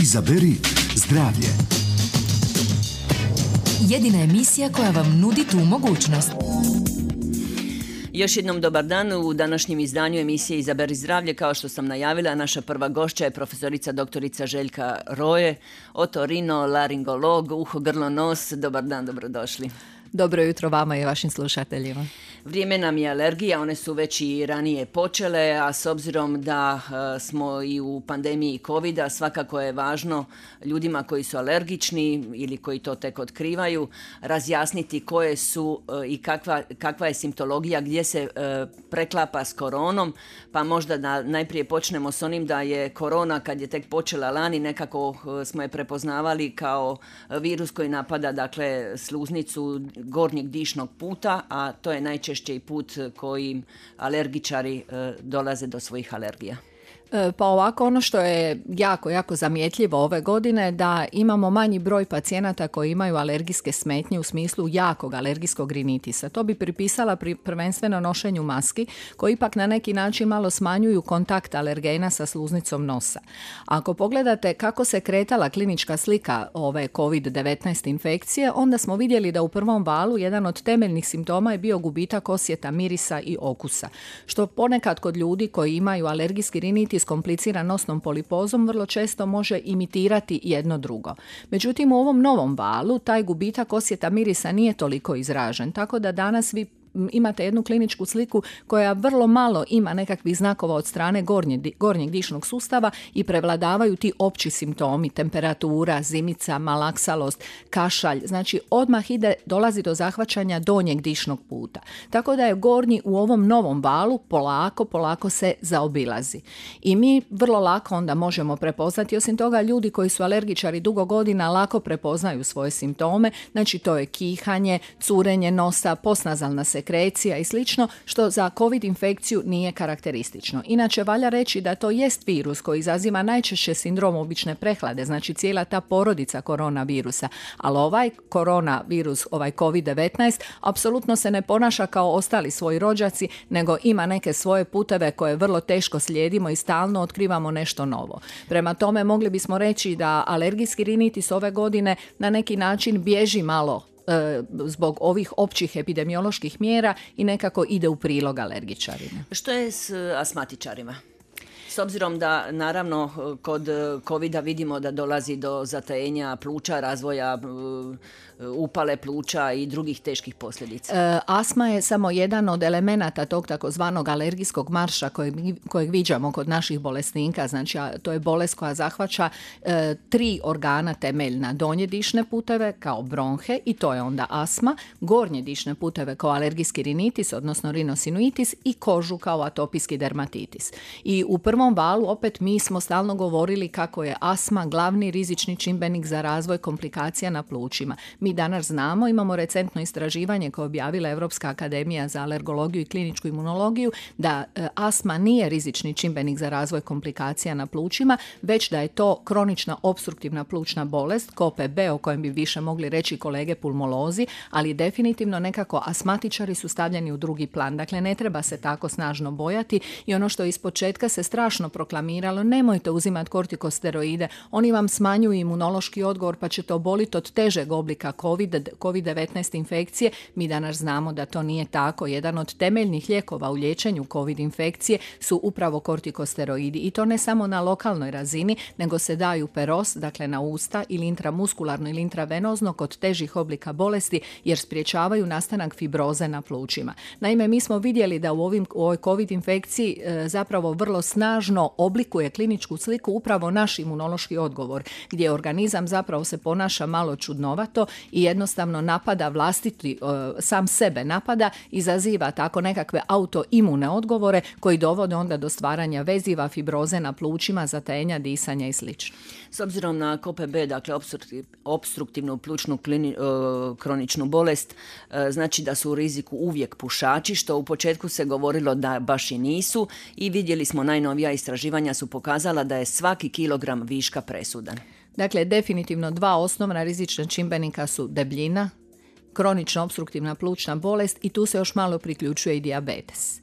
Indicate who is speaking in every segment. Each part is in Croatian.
Speaker 1: Izaberi zdravlje.
Speaker 2: Jedina emisija koja vam nudi tu mogućnost.
Speaker 3: Još jednom dobar dan. U današnjem izdanju emisije Izaberi zdravlje, kao što sam najavila, naša prva gošća je profesorica doktorica Željka Roje, otorinolaringolog, uho, grlo, nos. Dobar dan, dobrodošli.
Speaker 4: Dobro jutro vama i vašim slušateljima.
Speaker 3: Vrijeme nam je alergija, one su već i ranije počele, a s obzirom da smo i u pandemiji covida, svakako je važno ljudima koji su alergični ili koji to tek otkrivaju, razjasniti koje su i kakva je simptologija, gdje se preklapa s koronom, pa možda da najprije počnemo s onim da je korona, kad je tek počela lani, nekako smo je prepoznavali kao virus koji napada, dakle, sluznicu gornjeg dišnog puta, a to je najčešći put kojim alergičari dolaze do svojih alergija.
Speaker 4: Pa ovako, ono što je jako zamjetljivo ove godine da imamo manji broj pacijenata koji imaju alergijske smetnje u smislu jakog alergijskog rinitisa. To bi pripisala prvenstveno nošenju maski koji ipak na neki način malo smanjuju kontakt alergena sa sluznicom nosa. Ako pogledate kako se kretala klinička slika ove COVID-19 infekcije, onda smo vidjeli da u prvom valu jedan od temeljnih simptoma je bio gubitak osjeta mirisa i okusa, što ponekad kod ljudi koji imaju alergijski rinitis kompliciran nosnom polipozom vrlo često može imitirati jedno drugo. Međutim, u ovom novom valu taj gubitak osjeta mirisa nije toliko izražen, tako da danas vi imate jednu kliničku sliku koja vrlo malo ima nekakvih znakova od strane gornjeg dišnog sustava i prevladavaju ti opći simptomi, temperatura, zimica, malaksalost, kašalj. Znači odmah dolazi do zahvaćanja donjeg dišnog puta. Tako da je gornji u ovom novom valu polako se zaobilazi. I mi vrlo lako onda možemo prepoznati, osim toga ljudi koji su alergičari dugo godina lako prepoznaju svoje simptome, znači to je kihanje, curenje nosa, postnazalna sekrecija i slično, što za COVID infekciju nije karakteristično. Inače, valja reći da to jest virus koji izaziva najčešće sindrom obične prehlade, znači cijela ta porodica koronavirusa, ali ovaj koronavirus, ovaj COVID-19, apsolutno se ne ponaša kao ostali svoji rođaci, nego ima neke svoje puteve koje vrlo teško slijedimo i stalno otkrivamo nešto novo. Prema tome, mogli bismo reći da alergijski rinitis ove godine na neki način bježi malo zbog ovih općih epidemioloških mjera i nekako ide u prilog alergičarima.
Speaker 3: Što je s astmatičarima? S obzirom da, naravno, kod covida vidimo da dolazi do zatajenja pluća, razvoja upale pluća i drugih teških posljedica.
Speaker 4: Astma je samo jedan od elemenata tog takozvanog alergijskog marša kojeg viđamo kod naših bolesnika. Znači, to je bolest koja zahvaća 3 organa temeljna. Donje dišne puteve kao bronhe i to je onda astma, gornje dišne puteve kao alergijski rinitis, odnosno rinosinuitis i kožu kao atopijski dermatitis. I u prvom valu opet mi smo stalno govorili kako je astma glavni rizični čimbenik za razvoj komplikacija na plućima. Mi danas znamo, imamo recentno istraživanje koje je objavila Europska akademija za alergologiju i kliničku imunologiju, da astma nije rizični čimbenik za razvoj komplikacija na plućima, već da je to kronična opstruktivna plućna bolest, KOPB, o kojem bi više mogli reći kolege pulmolozi, ali definitivno nekako astmatičari su stavljeni u drugi plan. Dakle, ne treba se tako snažno bojati i ono što ispočetka se strašno proklamiralo, nemojte uzimati kortikosteroide, oni vam smanjuju imunološki odgovor pa će to boliti od težeg oblika COVID-19 infekcije. Mi danas znamo da to nije tako. Jedan od temeljnih lijekova u liječenju COVID infekcije su upravo kortikosteroidi i to ne samo na lokalnoj razini, nego se daju peros, dakle na usta ili intramuskularno ili intravenozno kod težih oblika bolesti jer sprječavaju nastanak fibroze na plućima. Naime, mi smo vidjeli da u ovoj COVID infekciji zapravo vrlo snažno oblikuje kliničku sliku upravo naš imunološki odgovor, gdje organizam zapravo se ponaša malo čudnovato i jednostavno napada vlastiti, sam sebe napada, izaziva tako nekakve autoimune odgovore koji dovode onda do stvaranja veziva, fibroze na plućima, zatajenja disanja i sl.
Speaker 3: S obzirom na KOPB, dakle opstruktivnu plućnu kroničnu bolest, znači da su u riziku uvijek pušači, što u početku se govorilo da baš i nisu, i vidjeli smo najnovija istraživanja su pokazala da je svaki kilogram viška presudan.
Speaker 4: Dakle, definitivno 2 osnovna rizična čimbenika su debljina kronična opstruktivna plućna bolest i tu se još malo priključuje i dijabetes.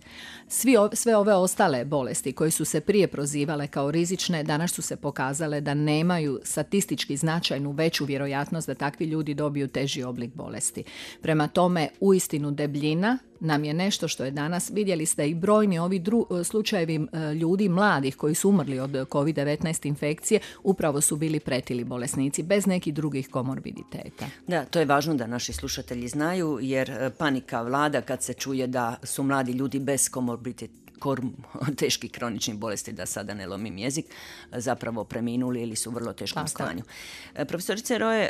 Speaker 4: Sve ove ostale bolesti koje su se prije prozivale kao rizične, danas su se pokazale da nemaju statistički značajnu veću vjerojatnost da takvi ljudi dobiju teži oblik bolesti. Prema tome, uistinu debljina nam je nešto što je danas, vidjeli ste i brojni ovi slučajevi ljudi mladih koji su umrli od COVID-19 infekcije, upravo su bili pretili bolesnici bez nekih drugih komorbiditeta.
Speaker 3: Da, to je važno da naši slušatelji znaju, jer panika vlada kad se čuje da su mladi ljudi bez teških kroničnih bolesti, da sada ne lomim jezik, zapravo preminuli ili su u vrlo teškom stanju. Profesorice Roje,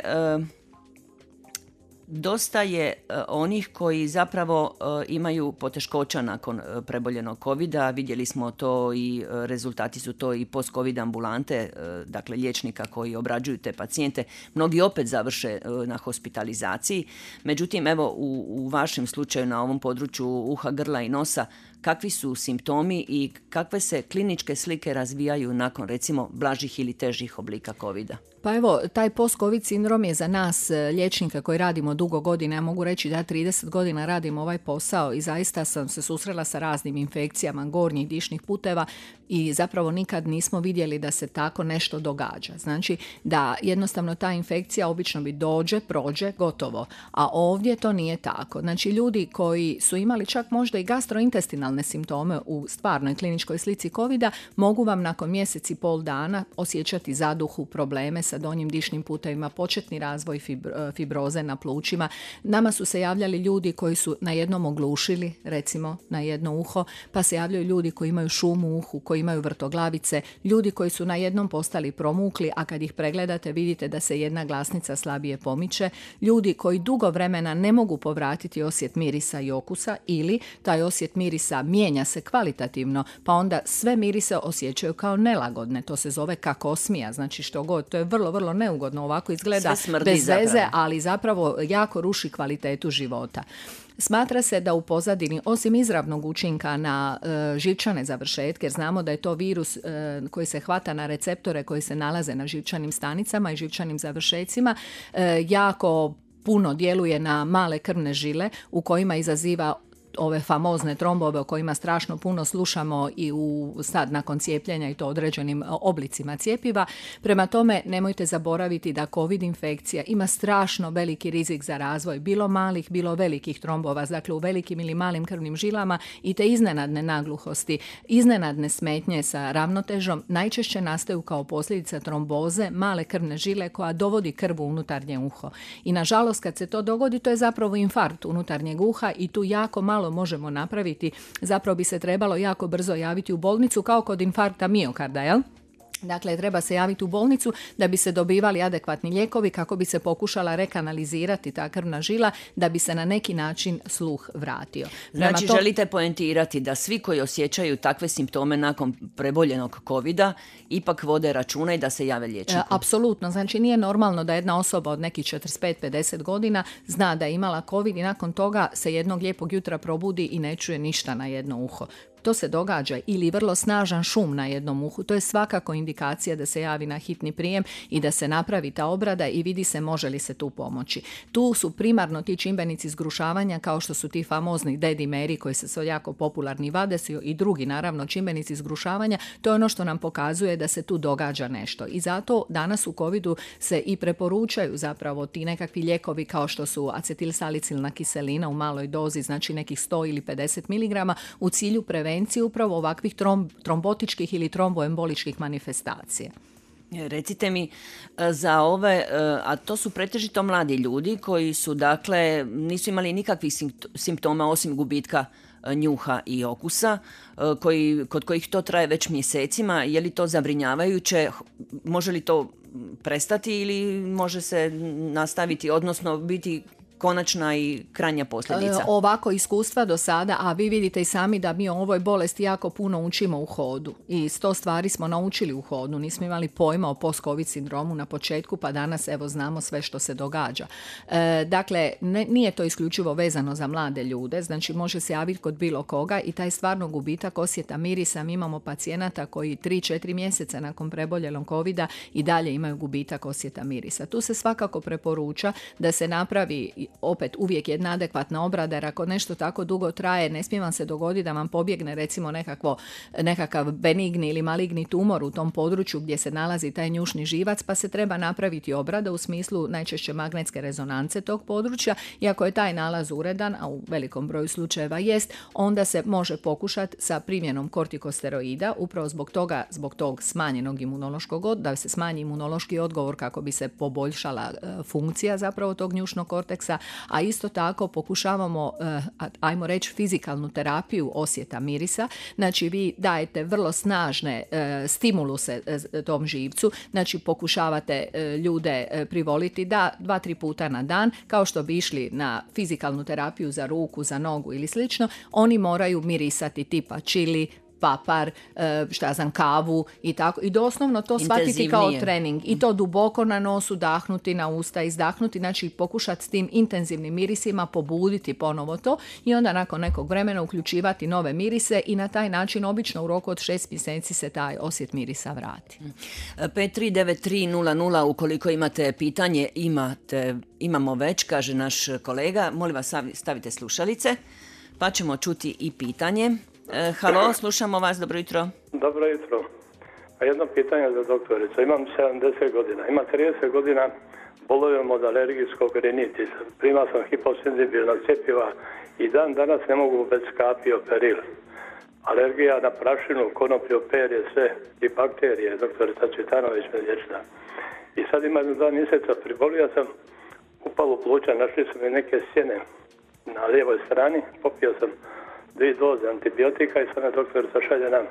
Speaker 3: dosta je onih koji zapravo imaju poteškoća nakon preboljenog covida. Vidjeli smo to i rezultati su to i post-covid ambulante, dakle liječnika koji obrađuju te pacijente. Mnogi opet završe na hospitalizaciji. Međutim, evo u vašem slučaju na ovom području uha, grla i nosa, kakvi su simptomi i kakve se kliničke slike razvijaju nakon recimo blažih ili težih oblika covida?
Speaker 4: Pa evo, taj post-covid sindrom je za nas liječnika koji radimo dugo godina, ja mogu reći da 30 godina radim ovaj posao i zaista sam se susrela sa raznim infekcijama gornjih dišnih puteva i zapravo nikad nismo vidjeli da se tako nešto događa. Znači da jednostavno ta infekcija obično bi dođe, prođe, gotovo, a ovdje to nije tako. Znači ljudi koji su imali čak možda i gastrointestinalne simptome u stvarnoj kliničkoj slici covida mogu vam nakon mjesec i pol dana osjećati zaduhu, probleme sa donjim dišnim putevima, početni razvoj fibroze na plućima. Nama su se javljali ljudi koji su na jednom oglušili, recimo na jedno uho, pa se javljaju ljudi koji imaju šum u uhu, koji imaju vrtoglavice, ljudi koji su na jednom postali promukli, a kad ih pregledate vidite da se jedna glasnica slabije pomiče, ljudi koji dugo vremena ne mogu povratiti osjet mirisa i okusa ili taj osjet mirisa mijenja se kvalitativno, pa onda sve mirise osjećaju kao nelagodne. To se zove kakosmija, znači što god, to je vrlo, vrlo neugodno, ovako izgleda bez veze, ali zapravo jako ruši kvalitetu života. Smatra se da u pozadini, osim izravnog učinka na živčane završetke, jer znamo da je to virus koji se hvata na receptore koji se nalaze na živčanim stanicama i živčanim završecima, jako puno djeluje na male krvne žile u kojima izaziva ove famozne trombove o kojima strašno puno slušamo i sad nakon cijepljenja i to određenim oblicima cjepiva. Prema tome, nemojte zaboraviti da COVID infekcija ima strašno veliki rizik za razvoj bilo malih, bilo velikih trombova, dakle u velikim ili malim krvnim žilama i te iznenadne nagluhosti, iznenadne smetnje sa ravnotežom najčešće nastaju kao posljedica tromboze male krvne žile koja dovodi krv u unutarnje uho. I nažalost kad se to dogodi, to je zapravo infarkt unutarnjeg uha i tu jako malo možemo napraviti. Zapravo bi se trebalo jako brzo javiti u bolnicu kao kod infarkta miokarda, jel? Dakle, treba se javiti u bolnicu da bi se dobivali adekvatni lijekovi kako bi se pokušala rekanalizirati ta krvna žila da bi se na neki način sluh vratio.
Speaker 3: Znači, želite poentirati da svi koji osjećaju takve simptome nakon preboljenog covida ipak vode računa i da se jave liječniku?
Speaker 4: Apsolutno. Znači, nije normalno da jedna osoba od nekih 45-50 godina zna da je imala covid i nakon toga se jednog lijepog jutra probudi i ne čuje ništa na jedno uho. To se događa ili vrlo snažan šum na jednom uhu. To je svakako indikacija da se javi na hitni prijem i da se napravi ta obrada i vidi se može li se tu pomoći. Tu su primarno ti čimbenici zgrušavanja kao što su ti famozni dedimeri koji su jako popularni, vadesi i drugi naravno čimbenici zgrušavanja. To je ono što nam pokazuje da se tu događa nešto. I zato danas u covidu se i preporučaju zapravo ti nekakvi lijekovi kao što su acetilsalicilna kiselina u maloj dozi, znači nekih 100 ili 50 mg u cilju prevencije upravo ovakvih trombotičkih ili tromboemboličkih manifestacija.
Speaker 3: Recite mi za ove, a to su pretežito mladi ljudi koji su dakle nisu imali nikakvih simptoma osim gubitka njuha i okusa, kod kojih to traje već mjesecima. Je li to zabrinjavajuće? Može li to prestati ili može se nastaviti, odnosno biti konačna i krajnja posljedica?
Speaker 4: Ovako iskustva do sada, a vi vidite i sami da mi o ovoj bolesti jako puno učimo u hodu i 100 stvari smo naučili u hodu, nismo imali pojma o post-covid sindromu na početku, pa danas evo znamo sve što se događa. Dakle, nije to isključivo vezano za mlade ljude, znači može se javiti kod bilo koga i taj stvarno gubitak osjeta mirisa. Mi imamo pacijenata koji 3-4 mjeseca nakon preboljelog covida i dalje imaju gubitak osjeta mirisa. Tu se svakako preporuča da se napravi opet uvijek jedna adekvatna obrada, jer ako nešto tako dugo traje, ne smije vam se dogoditi da vam pobjegne recimo nekakav benigni ili maligni tumor u tom području gdje se nalazi taj njušni živac, pa se treba napraviti obrada u smislu najčešće magnetske rezonance tog područja, i ako je taj nalaz uredan, a u velikom broju slučajeva jest, onda se može pokušati sa primjenom kortikosteroida, upravo zbog tog smanjenog imunološkog, da se smanji imunološki odgovor kako bi se poboljšala funkcija zapravo tog njušnog korteksa, a isto tako pokušavamo, ajmo reći, fizikalnu terapiju osjeta mirisa. Znači vi dajete vrlo snažne stimuluse tom živcu, znači pokušavate ljude privoliti da 2-3 puta na dan, kao što bi išli na fizikalnu terapiju za ruku, za nogu ili slično, oni moraju mirisati tipa čili, papar, kavu i tako. I doslovno to shvatiti kao trening. I to duboko na nosu, dahnuti na usta, izdahnuti, znači pokušati s tim intenzivnim mirisima pobuditi ponovo to i onda nakon nekog vremena uključivati nove mirise i na taj način obično u roku od 6 mjeseci se taj osjet mirisa vrati.
Speaker 3: 539300, ukoliko imate pitanje, imamo već, kaže naš kolega. Molim vas, stavite slušalice, pa ćemo čuti i pitanje. Halo, slušamo vas, dobro jutro.
Speaker 5: Dobro jutro. A jedno pitanje za doktoricu. Imam 70 godina. Ima 30 godina bolujem od alergijskog rinitisa. Primao sam hiposenzibilna cjepiva i dan danas ne mogu bez kapi peril. Alergija na prašinu, konoplju, perje, sve i bakterije. Doktorica Cvitanović me liječila. I sad ima 2 mjeseca pribolio sam, upalo pluća, našli su mi neke sjene na lijevoj strani, popio sam 2 doze antibiotika i sada doktorica šalje nam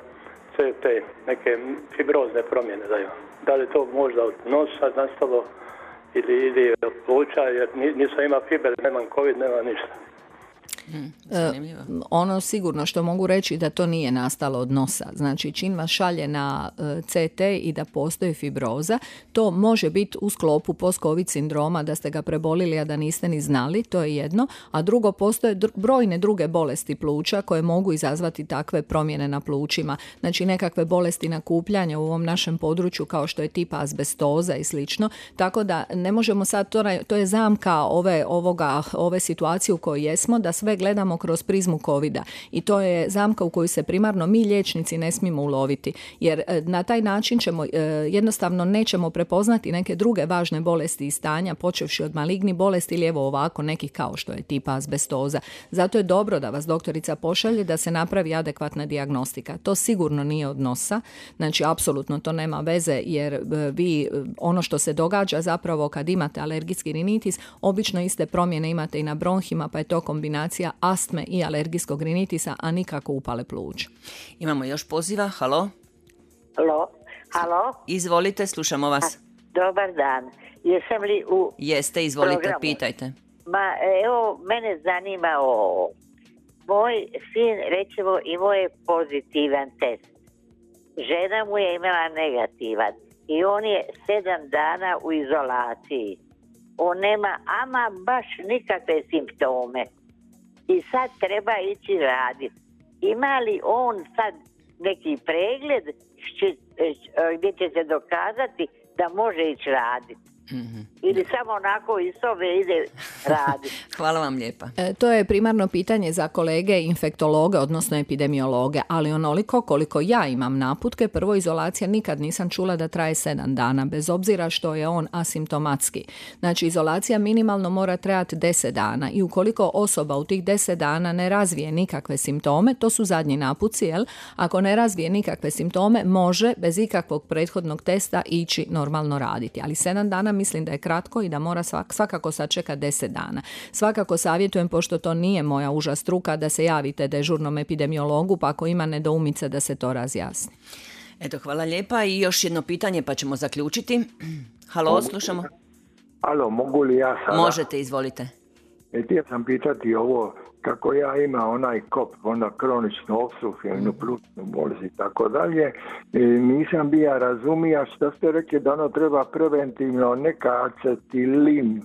Speaker 5: CT, neke fibrozne promjene da imam. Da li to možda od nosa nastalo ili od pluća, jer nisam imao fiber, nemam COVID, nema ništa.
Speaker 4: Ono sigurno što mogu reći da to nije nastalo od nosa. Znači čim vas šalje na CT i da postoji fibroza, to može biti u sklopu post-covid sindroma, da ste ga prebolili a da niste ni znali, to je jedno. A drugo, postoje brojne druge bolesti pluća koje mogu izazvati takve promjene na plućima. Znači nekakve bolesti nakupljanja u ovom našem području kao što je tipa azbestoza i slično. Tako da ne možemo sad, to je zamka ove situacije u kojoj jesmo, da sve gledamo kroz prizmu covida i to je zamka u koju se primarno mi liječnici ne smijemo uloviti, jer na taj način ćemo jednostavno nećemo prepoznati neke druge važne bolesti i stanja, počevši od malignih bolesti ili evo ovako nekih kao što je tipa azbestoza. Zato je dobro da vas doktorica pošalje da se napravi adekvatna dijagnostika. To sigurno nije od nosa, znači apsolutno to nema veze, jer vi ono što se događa zapravo kad imate alergijski rinitis, obično iste promjene imate i na bronhima, pa je to kombinacija astme i alergijskog rinitisa, a nikako upale pluća.
Speaker 3: Imamo još poziva. Halo?
Speaker 6: Halo?
Speaker 3: Izvolite, slušamo vas.
Speaker 6: Dobar dan. Jesam li u
Speaker 3: Jeste, izvolite,
Speaker 6: programu?
Speaker 3: Pitajte.
Speaker 6: Evo, mene zanima ovo. Moj sin, recimo, imao je pozitivan test. Žena mu je imala negativan i on je 7 dana u izolaciji. On nema ama baš nikakve simptome. I sad treba ići raditi. Ima li on sad neki pregled gdje će se dokazati da može ići raditi? Mm-hmm. Ili samo onako iz sobe ide raditi?
Speaker 3: Hvala vam lijepa.
Speaker 4: To je primarno pitanje za kolege infektologe, odnosno epidemiologe, ali onoliko koliko ja imam naputke, prvo izolacija nikad nisam čula da traje 7 dana, bez obzira što je on asimptomatski. Znači izolacija minimalno mora trajati 10 dana i ukoliko osoba u tih 10 dana ne razvije nikakve simptome, to su zadnji naputci, ako ne razvije nikakve simptome, može bez ikakvog prethodnog testa ići normalno raditi, ali 7 dana mislim da je kratko i da mora svakako sačekati 10 dana. Svakako savjetujem, pošto to nije moja uža struka, da se javite dežurnom epidemiologu, pa ako ima nedoumice da se to razjasni.
Speaker 3: Eto, hvala lijepa. I još jedno pitanje pa ćemo zaključiti. Halo, slušamo.
Speaker 7: Halo, mogu li ja sada?
Speaker 3: Možete, izvolite.
Speaker 7: Htio sam pitati ovo, kako ja imam onaj kop, onda kroničnu opstruktivnu plućnu bolest i tako dalje, nisam bija razumija što ste rekli da ono treba preventivno neka acetilin,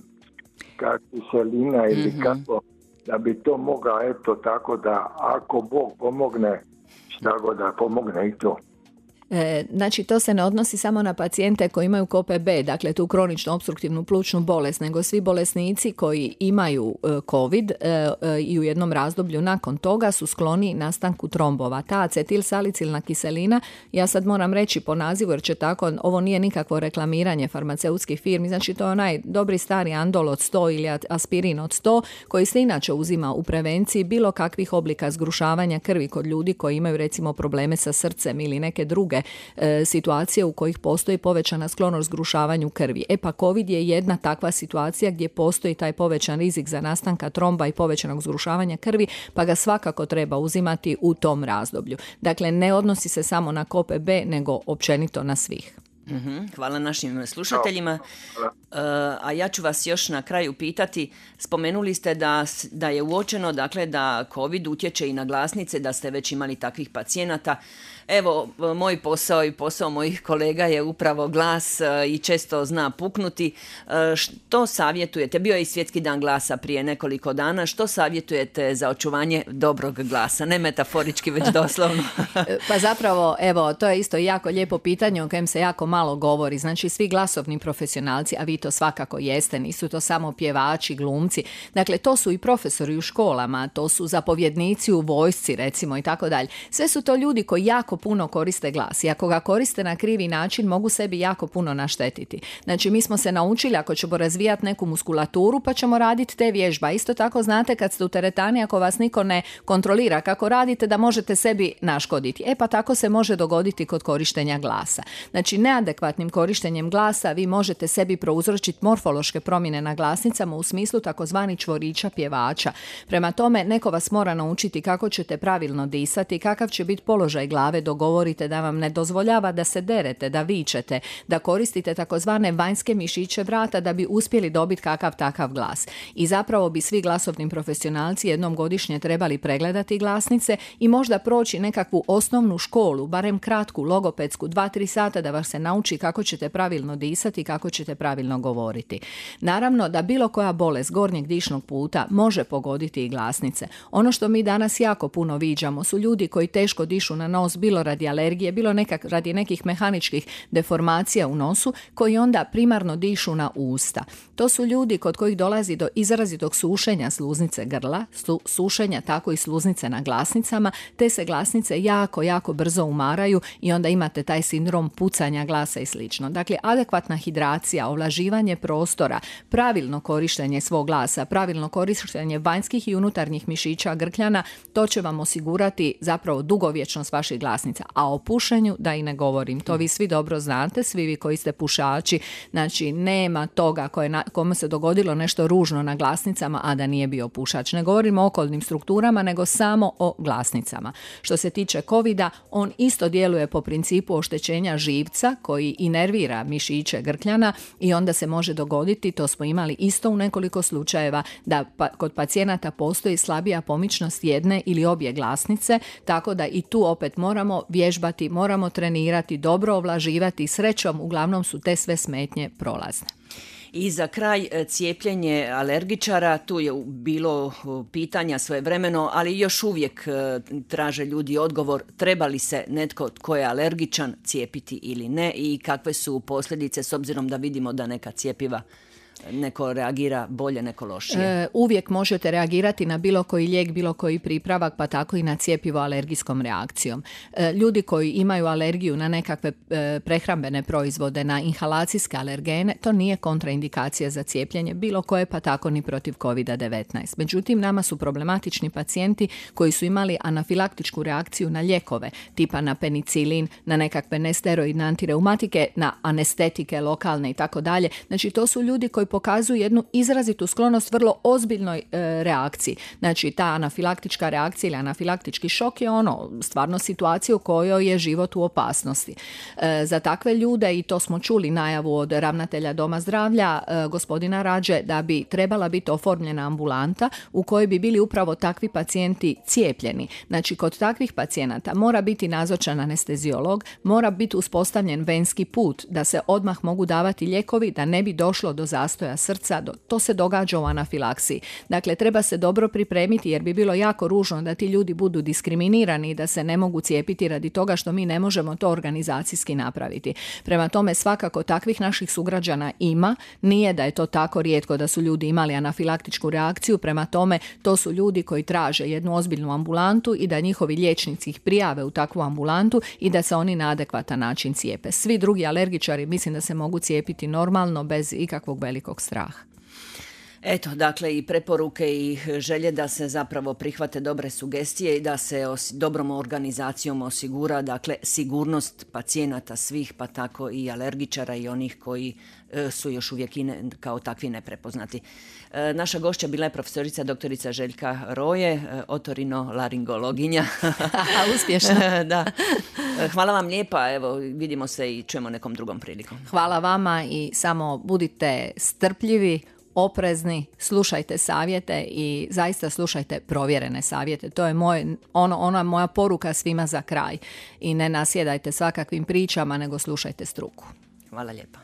Speaker 7: kiselina ili kako, da bi to mogla, eto tako da ako Bog pomogne, šta god da pomogne i to.
Speaker 4: Znači, to se ne odnosi samo na pacijente koji imaju KOPB, dakle tu kroničnu opstruktivnu plućnu bolest, nego svi bolesnici koji imaju COVID i u jednom razdoblju nakon toga su skloni nastanku trombova. Ta acetilsalicilna kiselina, ja sad moram reći po nazivu jer će tako, ovo nije nikakvo reklamiranje farmaceutskih firmi, znači to je onaj dobri stari Andol od 100 ili aspirin od 100 koji se inače uzima u prevenciji bilo kakvih oblika zgrušavanja krvi kod ljudi koji imaju recimo probleme sa srcem ili neke druge situacije u kojih postoji povećana sklonost zgrušavanju krvi. Pa COVID je jedna takva situacija gdje postoji taj povećan rizik za nastanka tromba i povećanog zgrušavanja krvi, pa ga svakako treba uzimati u tom razdoblju. Dakle, ne odnosi se samo na KOPB, nego općenito na svih.
Speaker 3: Hvala našim slušateljima. A ja ću vas još na kraju pitati, spomenuli ste da je uočeno dakle, da COVID utječe i na glasnice, da ste već imali takvih pacijenata. Evo, moj posao i posao mojih kolega je upravo glas i često zna puknuti. Što savjetujete? Bio je i Svjetski dan glasa prije nekoliko dana. Što savjetujete za očuvanje dobrog glasa? Ne metaforički, već doslovno.
Speaker 4: Pa zapravo, evo, to je isto jako lijepo pitanje o kojem se jako malo govori. Znači, svi glasovni profesionalci, a vi to svakako jeste, nisu to samo pjevači, glumci. Dakle, to su i profesori u školama, to su zapovjednici u vojsci, recimo, i tako dalje. Sve su to ljudi koji jako puno koriste glas i ako ga koriste na krivi način mogu sebi jako puno naštetiti. Znači, mi smo se naučili ako ćemo razvijati neku muskulaturu pa ćemo raditi te vježba. Isto tako znate kad ste u teretani, ako vas niko ne kontrolira kako radite, da možete sebi naškoditi. Pa tako se može dogoditi kod korištenja glasa. Znači, neadekvatnim korištenjem glasa vi možete sebi prouzročiti morfološke promjene na glasnicama u smislu takozvani čvorića pjevača. Prema tome, neko vas mora naučiti kako ćete pravilno disati, kakav će biti položaj glave, dogovorite da vam ne dozvoljava da se derete, da vičete, da koristite takozvane vanjske mišiće vrata da bi uspjeli dobiti kakav takav glas. I zapravo bi svi glasovni profesionalci jednom godišnje trebali pregledati glasnice i možda proći nekakvu osnovnu školu, barem kratku, logopedsku, 2-3 sata da vas se nauči kako ćete pravilno disati i kako ćete pravilno govoriti. Naravno da bilo koja bolest gornjeg dišnog puta može pogoditi i glasnice. Ono što mi danas jako puno viđamo su ljudi koji teško dišu na nos, bilo radi alergije, bilo radi nekih mehaničkih deformacija u nosu, koji onda primarno dišu na usta. To su ljudi kod kojih dolazi do izrazitog sušenja sluznice grla, sušenja tako i sluznice na glasnicama, te se glasnice jako, jako brzo umaraju i onda imate taj sindrom pucanja glasa i slično. Dakle, adekvatna hidracija, ovlaživanje prostora, pravilno korištenje svog glasa, pravilno korištenje vanjskih i unutarnjih mišića grkljana, to će vam osigurati zapravo dugovječnost vaših glasnica. A o pušenju da i ne govorim. To vi svi dobro znate, svi vi koji ste pušači. Znači, nema toga kome se dogodilo nešto ružno na glasnicama, a da nije bio pušač. Ne govorimo o okolnim strukturama, nego samo o glasnicama. Što se tiče COVID-a, on isto djeluje po principu oštećenja živca koji inervira mišiće grkljana i onda se može dogoditi, to smo imali isto u nekoliko slučajeva, da kod pacijenata postoji slabija pomičnost jedne ili obje glasnice, tako da i tu opet moramo vježbati, moramo trenirati, dobro ovlaživati. Srećom, uglavnom su te sve smetnje prolazne.
Speaker 3: I za kraj, cijepljenje alergičara, tu je bilo pitanja svojevremeno, ali još uvijek traže ljudi odgovor, treba li se netko tko je alergičan cijepiti ili ne i kakve su posljedice s obzirom da vidimo da neka cjepiva neko reagira bolje, neko lošije.
Speaker 4: Uvijek možete reagirati na bilo koji lijek, bilo koji pripravak, pa tako i na cjepivo alergijskom reakcijom. Ljudi koji imaju alergiju na nekakve prehrambene proizvode, na inhalacijske alergene, to nije kontraindikacija za cijepljenje bilo koje, pa tako ni protiv COVID-19. Međutim, nama su problematični pacijenti koji su imali anafilaktičku reakciju na lijekove, tipa na penicilin, na nekakve nesteroidne antireumatike, na anestetike lokalne i tako dalje. Znači, to su ljudi koji pokazuju jednu izrazitu sklonost vrlo ozbiljnoj reakciji. Znači, ta anafilaktička reakcija ili anafilaktički šok je stvarno situacija u kojoj je život u opasnosti. Za takve ljude, i to smo čuli najavu od ravnatelja Doma zdravlja, gospodina Rađe, da bi trebala biti oformljena ambulanta u kojoj bi bili upravo takvi pacijenti cijepljeni. Znači, kod takvih pacijenata mora biti nazočan anesteziolog, mora biti uspostavljen venski put da se odmah mogu davati lijekovi, da ne bi došlo do zastoja zastoja srca, to se događa u anafilaksiji. Dakle, treba se dobro pripremiti jer bi bilo jako ružno da ti ljudi budu diskriminirani i da se ne mogu cijepiti radi toga što mi ne možemo to organizacijski napraviti. Prema tome, svakako takvih naših sugrađana ima, nije da je to tako rijetko da su ljudi imali anafilaktičku reakciju, prema tome to su ljudi koji traže jednu ozbiljnu ambulantu i da njihovi liječnici ih prijave u takvu ambulantu i da se oni na adekvatan način cijepe. Svi drugi alergičari mislim da se mogu cijepiti normalno bez ikakvog velikog straha.
Speaker 3: Eto, dakle i preporuke i želje da se zapravo prihvate dobre sugestije i da se dobrom organizacijom osigura, dakle, sigurnost pacijenata svih, pa tako i alergičara i onih koji su još uvijek kao takvi neprepoznati. Naša gošća bila je profesorica doktorica Željka Roje, otorinolaringologinja.
Speaker 4: Uspješno.
Speaker 3: Da. Hvala vam lijepa, evo vidimo se i čujemo nekom drugom prilikom.
Speaker 4: Hvala vama i samo budite strpljivi, oprezni, slušajte savjete i zaista slušajte provjerene savjete. To je ona moja poruka svima za kraj. I ne nasjedajte svakakvim pričama, nego slušajte struku.
Speaker 3: Hvala lijepa.